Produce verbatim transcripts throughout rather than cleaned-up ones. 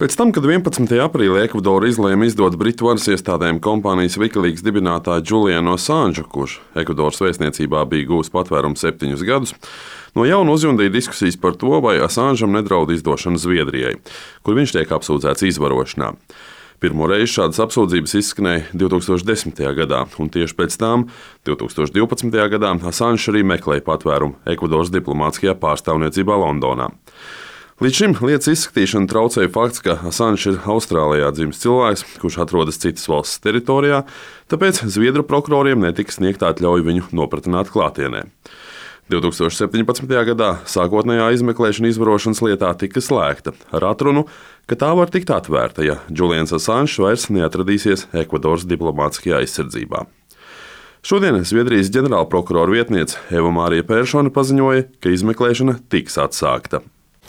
Pēc tam, kad vienpadsmitajā aprīlī Ekvadora izlēma izdot Britu varas iestādēm kompānijas Wikileaks dibinātāju Julianu Assanžu, kurš Ekvadoras vēstniecībā bija guvis patvērumu septiņus gadus, no jauna uzjundīja diskusijas par to, vai Assanžam nedraud izdošana Zviedrijai, kur viņš tiek apsūdzēts izvarošanā. Pirmo reizi šādas apsūdzības izskanēja divtūkstoš desmitajā gadā, un tieši pēc tam, divtūkstoš divpadsmitajā gadā, Assanžs arī meklēja patvērumu Ekvadoras diplomātiskajā pārstāvniecībā Londonā. Līdz šim lietas izskatīšanu traucēja fakts, ka Assanžs ir Austrālijā dzimis cilvēks, kurš atrodas citas valsts teritorijā, tāpēc Zviedru prokuroriem netika sniegta atļauja viņu nopratināt klātienē. divtūkstoš septiņpadsmitajā gadā sākotnējā izmeklēšana izvarošanas lietā tika slēgta ar atrunu, ka tā var tikt atvērta, ja Julians Assanžs vairs neatradīsies Ekvadoras diplomātiskajā aizsardzībā. Šodien Zviedrijas ģenerālprokurora vietniece Eva Mārija Pēršone paziņoja, ka izmeklēšana tiks atsākta.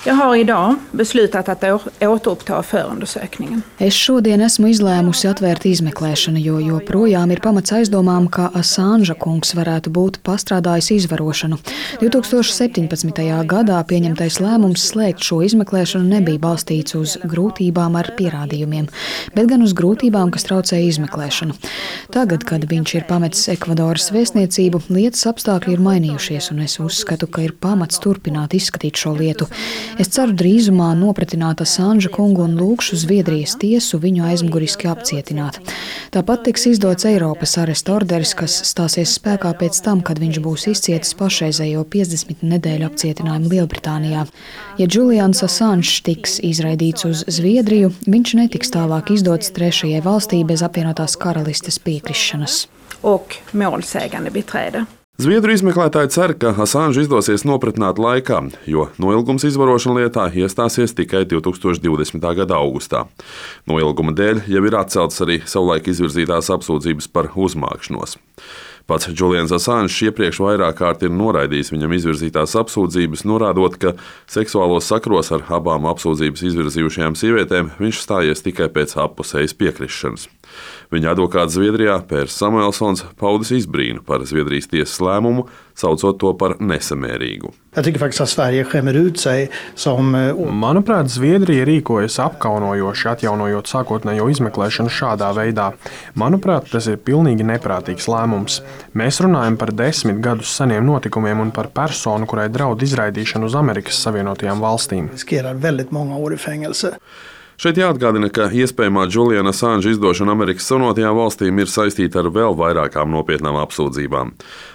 Jag har idag beslutat att återuppta förundersökningen. Es šodien esmu izlēmusi atvērt izmeklēšanu, jo joprojām ir pamats aizdomām, ka Assanža kungs varētu būt pastrādājis izvarošanu. divtūkstoš septiņpadsmitajā gadā pieņemtais lēmums slēgt šo izmeklēšanu nebija balstīts uz grūtībām ar pierādījumiem, bet gan uz grūtībām, kas traucēja izmeklēšanu. Tagad, kad viņš ir pametis Ekvadoras vēstniecību, lietas apstākļi ir mainījušies, un es uzskatu, ka ir pamats turpināt izskatīt šo lietu. Es ceru drīzumā nopratināt Assanža kungu un lūgšu Zviedrijas tiesu viņu aizmuguriski apcietināt. Tāpat tiks izdots Eiropas aresta orderis, kas stāsies spēkā pēc tam, kad viņš būs izcietis pašreizējo piecdesmit nedēļu apcietinājumu Lielbritānijā. Ja Julians Assanžs tiks izraidīts uz Zviedriju, viņš netiks tālāk izdots trešajai valstī bez apvienotās karalistes piekrišanas. Och målsägande beträde. Zviedru izmeklētāji cer, ka Assanžu izdosies nopratināt laikā, jo noilgums izvarošana lietā iestāsies tikai divtūkstoš divdesmitā gada augustā. Noilguma dēļ jau ir atceltas arī savulaik izvirzītās apsūdzības par uzmākšanos. Pats Julians Assanžs iepriekš vairāk kārt ir noraidījis viņam izvirzītās apsūdzības, norādot, ka seksuālos sakros ar abām apsūdzības izvirzījušajām sievietēm viņš stājies tikai pēc appusējas piekrišanas. Viņa advokāts Zviedrijā Pērs Samuelsons paudis izbrīnu par Zviedrijas tiesas lēmumu, saucot to par nesamērīgu. Manuprāt, Zviedrija rīkojas apkaunojoši, atjaunojot sākotnējo izmeklēšanu šādā veidā. Manuprāt, tas ir pilnīgi neprātīgs lēmums. Mēs runājam par desmit gadus seniem notikumiem un par personu, kurai draud izraidīšanu uz Amerikas Savienotajām valstīm. Šeit jāatgādina, ka iespējamā Juliana Assanža izdošana Amerikas Savienotajām valstīm ir saistīta ar vēl vairākām nopietnām apsūdzībām.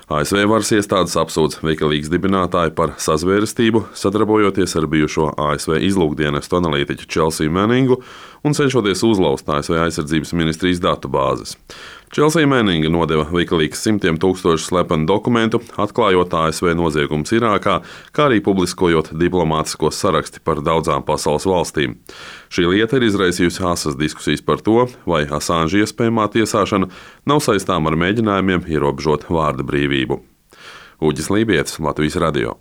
A S V varas iestādes apsūdz Wikileaks dibinātāju par sazvērestību, sadarbojoties ar bijušo A S V izlūkdienestu analītiķu Chelsea Manningu un cenšoties uzlauzt A S V aizsardzības ministrijas datubāzes. Chelsea Manninga nodeva Wikileaks simtiem tūkstošu slepenu dokumentu, atklājot A S V noziegumus Irākā, kā arī publiskojot diplomātiskos saraksti par daudzām pasaules valstīm. Šī lieta ir izraisījusi asas diskusijas par to, vai Assanža iespējamā tiesāšana nav saistām ar mēģinājumiem ierobežot vārda brīvību. Uģis Lībietis, Latvijas radio.